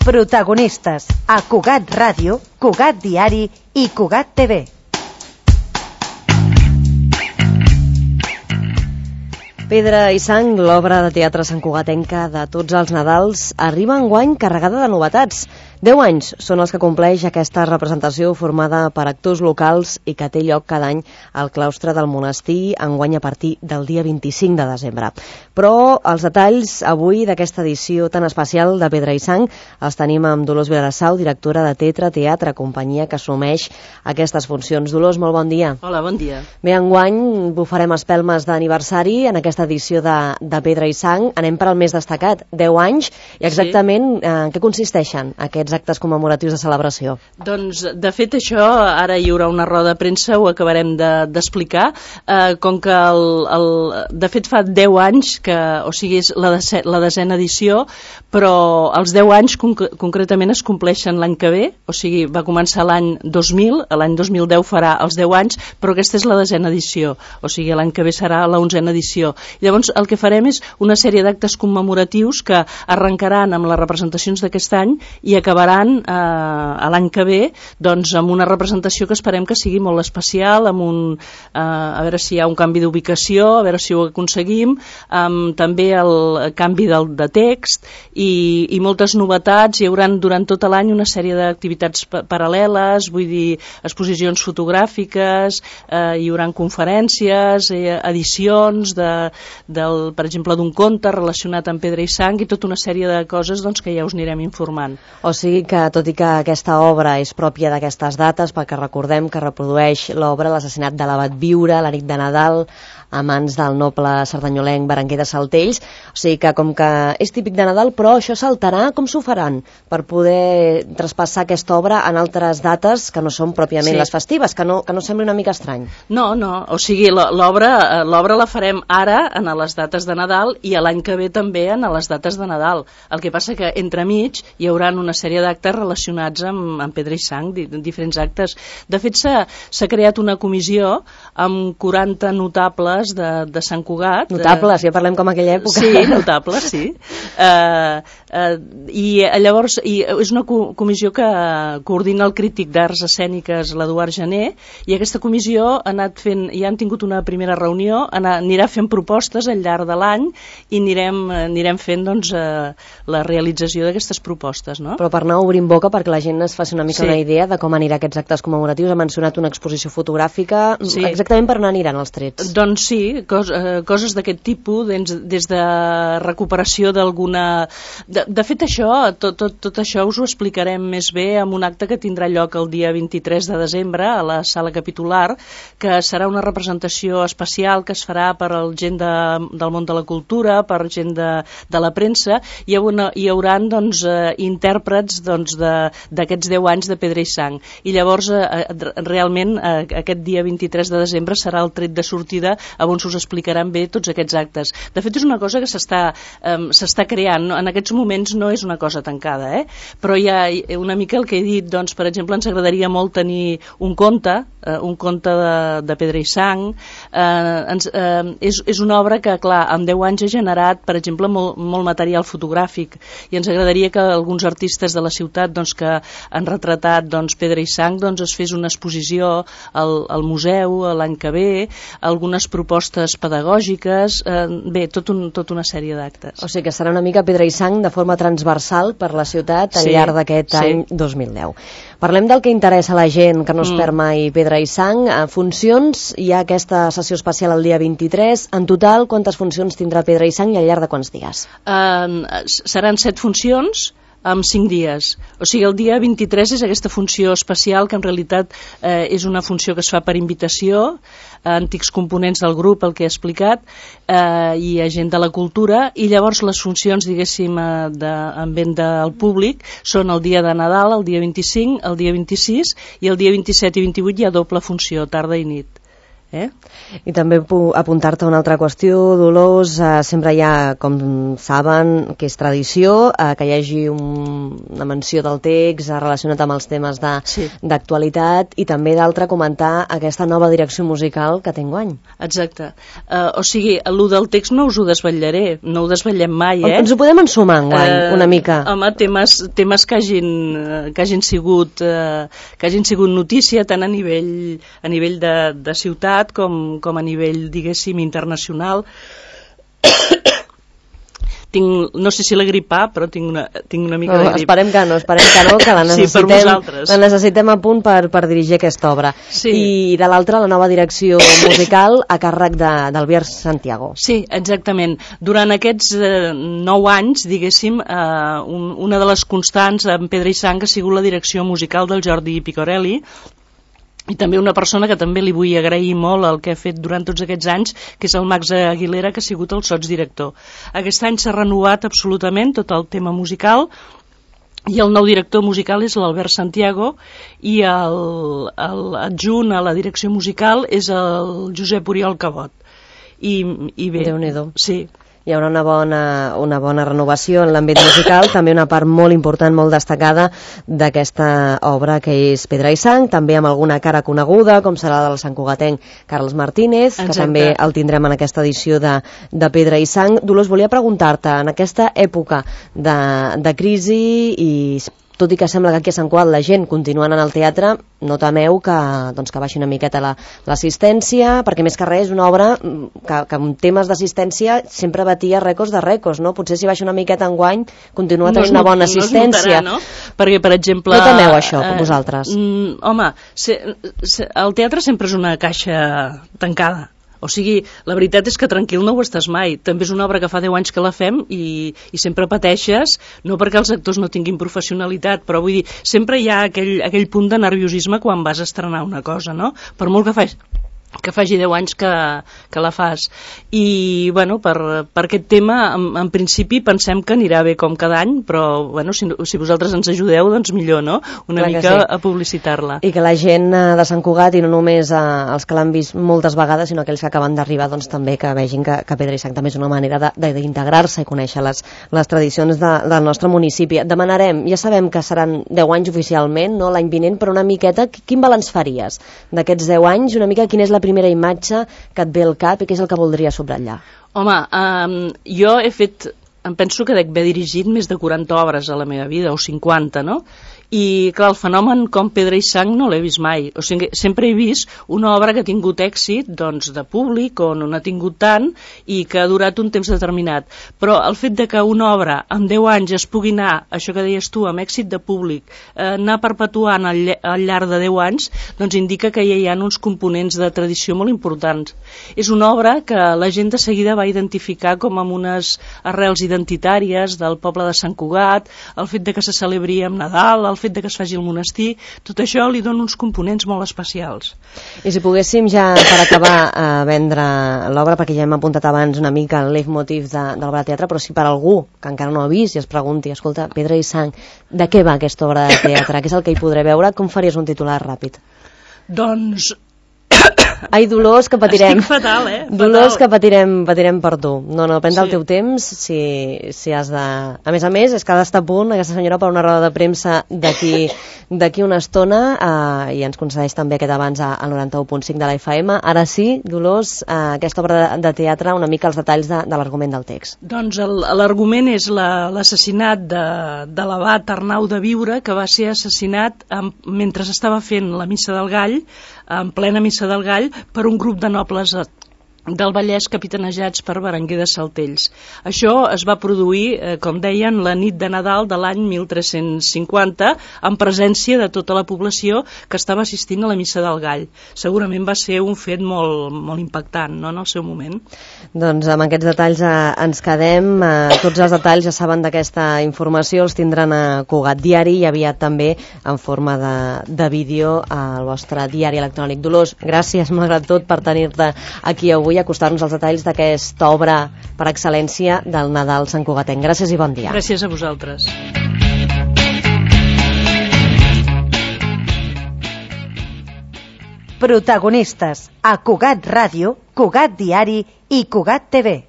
Protagonistes a Cugat Ràdio, Cugat Diari i Cugat TV. Pedra i sang, l'obra de teatre santcugatenca de tots els Nadals, arriba enguany carregada de novetats. 10 anys són els que compleix aquesta representació formada per actors locals i que té lloc cada any al claustre del monestir, enguany a partir del dia 25 de desembre. Però els detalls avui d'aquesta edició tan especial de Pedra i sang els tenim amb Dolors Vilassau, directora de Teatre, companyia que assumeix aquestes funcions. Dolors, molt bon dia. Hola, bon dia. Bé, enguany bufarem espelmes d'aniversari en aquesta edició de Pedra i sang. Anem per al més destacat, 10 anys, i exactament en què consisteixen aquests actes commemoratius de celebració? Doncs, de fet, això, ara hi haurà una roda de premsa, ho acabarem d'explicar. Com que, de fet, fa 10 anys, o sigui, és la desena edició, però els 10 anys concretament es compleixen l'any que ve, o sigui, va començar l'any 2000, l'any 2010 farà els 10 anys, però aquesta és la desena edició, o sigui, l'any que ve serà la 11a edició. Llavors, el que farem és una sèrie d'actes commemoratius que arrencaran amb les representacions d'aquest any i acabaran a l'any que ve doncs, amb una representació que esperem que sigui molt especial, amb a veure si hi ha un canvi d'ubicació, a veure si ho aconseguim, amb també el canvi de text i moltes novetats. Hi haurà durant tot l'any una sèrie d'activitats paral·leles, vull dir, exposicions fotogràfiques, hi haurà conferències, edicions per exemple, d'un conte relacionat amb Pedra i sang i tota una sèrie de coses doncs, que ja us anirem informant. O sigui que, tot i que aquesta obra és pròpia d'aquestes dates, perquè recordem que reprodueix l'obra L'assassinat de l'abat Viure, la nit de Nadal, a mans del noble cerdanyolenc Berenguer de Saltells, o sigui que com que és típic de Nadal, però això saltarà, com s'ho faran per poder traspassar aquesta obra en altres dates que no són pròpiament les festives, que no sembli una mica estrany? No, o sigui, l'obra la farem ara en les dates de Nadal i l'any que ve també en les dates de Nadal. El que passa que entremig hi haurà una sèrie d'actes relacionats amb Pedra i sang, diferents actes. De fet, s'ha creat una comissió amb 40 notables de Sant Cugat. Notables, ja parlem com aquella època. Sí, notables, sí. I llavors és una comissió que coordina el crític d'arts escèniques, l'Eduard Gené, i aquesta comissió ha anat fent, ja han tingut una primera reunió, anirà fent propostes al llarg de l'any i anirem fent doncs, la realització d'aquestes propostes. No? Però per anar obrint boca, perquè la gent es faci una mica una idea de com anirà aquests actes commemoratius, ha mencionat una exposició fotogràfica, exactament per on aniran els trets? Doncs sí, coses d'aquest tipus, des de recuperació d'alguna... De fet, tot això us ho explicarem més bé en un acte que tindrà lloc el dia 23 de desembre a la sala capitular, que serà una representació especial que es farà per a gent del món de la cultura, per gent de la premsa, i hi haurà doncs, intèrprets d'aquests 10 anys de Pedra i sang. I llavors, realment, aquest dia 23 de desembre serà el tret de sortida on us explicaran bé tots aquests actes. De fet, és una cosa que s'està creant. En aquests moments no és una cosa tancada, però hi ha una mica el que he dit. Doncs, per exemple, ens agradaria molt tenir un conte de Pedra i sang. És una obra que, clar, en 10 anys ha generat, per exemple, molt material fotogràfic, i ens agradaria que alguns artistes de la ciutat que han retratat Pedra i sang es fes una exposició al museu l'any que ve, algunes propostes pedagògiques, bé, tota una sèrie d'actes. O sigui que serà una mica Pedra i sang de forma transversal per la ciutat al llarg d'aquest any 2010. Parlem del que interessa a la gent, que no es perd mai Pedra i sang. Funcions, hi ha aquesta sessió especial el dia 23. En total, quantes funcions tindrà Pedra i sang i al llarg de quants dies? Seran 7 funcions amb 5 dies. O sigui, el dia 23 és aquesta funció especial, que en realitat és una funció que es fa per invitació a antics components del grup, el que he explicat, i a gent de la cultura, i llavors les funcions, diguéssim, en vent del públic són el dia de Nadal, el dia 25, el dia 26, i el dia 27 i 28 hi ha doble funció, tarda i nit. I també apuntar-te una altra qüestió, Dolors, sempre hi ha, com saben, que és tradició, que hi hagi una menció del text relacionat amb els temes d'actualitat i també d'altre comentar aquesta nova direcció musical que té enguany. Exacte. O sigui, el del text no us ho desvetllaré, no ho desvetllem mai, Ens ho podem ensumar enguany, una mica. Home, temes que hagin sigut notícia tant a nivell de ciutat com a nivell, diguéssim, internacional. No sé si la gripar, però tinc una mica de grip. Esperem que no, que la necessitem a punt per dirigir aquesta obra. Sí. I de l'altra, la nova direcció musical a càrrec d'Albert Santiago. Sí, exactament. Durant aquests 9 anys, diguéssim, una de les constants en Pedra i Sang ha sigut la direcció musical del Jordi Picorelli, i també una persona que també li vull agrair molt el que ha fet durant tots aquests anys, que és el Max Aguilera, que ha sigut el sotsdirector. Aquest any s'ha renovat absolutament tot el tema musical, i el nou director musical és l'Albert Santiago, i l'adjunt a la direcció musical és el Josep Oriol Cabot. I bé, Déu-n'hi-do. Sí. Hi haurà una bona renovació en l'àmbit musical, també una part molt important, molt destacada d'aquesta obra que és Pedra i Sang, també amb alguna cara coneguda, com serà del santcugatenc Carles Martínez, que també el tindrem en aquesta edició de Pedra i Sang. Dolors, volia preguntar-te, en aquesta època de crisi i tot i que sembla que aquí a Sant Cugat la gent continua anant al teatre, no temeu que baixi una miqueta l'assistència, perquè més que res és una obra que en temes d'assistència sempre batia rècords de rècords, no? Potser si baixa una miqueta enguany continua tenint una bona assistència. No? Perquè, per exemple... No temeu això, vosaltres? Home, el teatre sempre és una caixa tancada. O sigui, la veritat és que tranquil no ho estàs mai. També és una obra que fa 10 anys que la fem i sempre pateixes, no perquè els actors no tinguin professionalitat, però vull dir, sempre hi ha aquell punt de nerviosisme quan vas a estrenar una cosa, no? Per molt que faci 10 anys que la fas. I, bueno, per aquest tema, en principi, pensem que anirà bé com cada any, però, bueno, si vosaltres ens ajudeu, doncs millor, no? Una mica a publicitar-la. I que la gent de Sant Cugat, i no només els que l'han vist moltes vegades, sinó aquells que acaben d'arribar, doncs també que vegin que Pedra i Sang també és una manera d'integrar-se i conèixer les tradicions del nostre municipi. Demanarem, ja sabem que seran 10 anys oficialment, no? L'any vinent, però una miqueta, quin balanç faries d'aquests 10 anys? Una mica quina és la primera imatge que et ve al cap i què és el que voldria subratllar? Home, jo em penso que dec haver dirigit més de 40 obres a la meva vida, o 50, no? I, clar, el fenomen com Pedra i Sang no l'he vist mai. O sigui, sempre he vist una obra que ha tingut èxit, doncs, de públic, o no n'ha tingut tant, i que ha durat un temps determinat. Però el fet de que una obra en 10 anys es pugui anar, això que deies tu, amb èxit de públic, anar perpetuant al llarg de 10 anys, doncs indica que ja hi ha uns components de tradició molt importants. És una obra que la gent de seguida va identificar com amb unes arrels identitàries del poble de Sant Cugat, el fet de que se celebri amb Nadal, el fet de que es faci el monestir, tot això li dona uns components molt especials. I si poguéssim ja, per acabar, vendre l'obra, perquè ja hem apuntat abans una mica el leitmotiv de l'obra de teatre, però si per algú que encara no ha vist i es pregunti, escolta, Pedra i Sang, de què va aquesta obra de teatre? Què és el que hi podré veure? Com faries un titular ràpid? Doncs... Ai, Dolors, que patirem. Estic fatal, Dolors, que patirem per tu. No, prendre el teu temps, si has de... A més, és que ha d'estar a punt aquesta senyora per una roda de premsa d'aquí una estona i ens concedeix també aquest abans al 91.5 de la FM. Ara sí, Dolors, aquesta obra de teatre, una mica els detalls de l'argument del text. Doncs l'argument és l'assassinat de l'abat Arnau de Viure, que va ser assassinat mentre estava fent la Missa del Gall, en plena Missa del Gall, per un grup de nobles del Vallès capitanejats per Berenguer de Saltells. Això es va produir, com deien, la nit de Nadal de l'any 1350, en presència de tota la població que estava assistint a la Missa del Gall. Segurament va ser un fet molt, molt impactant, no?, en el seu moment. Doncs amb aquests detalls ens quedem. Tots els detalls, ja saben, d'aquesta informació els tindran a Cugat Diari i aviat també en forma de vídeo al vostre diari electrònic. Dolors, gràcies malgrat tot per tenir-te aquí avui i acostar-nos als detalls d'aquesta obra per excel·lència del Nadal santcugatenc. Gràcies i bon dia. Gràcies a vosaltres. Protagonistes a Cugat Ràdio, Cugat Diari i Cugat TV.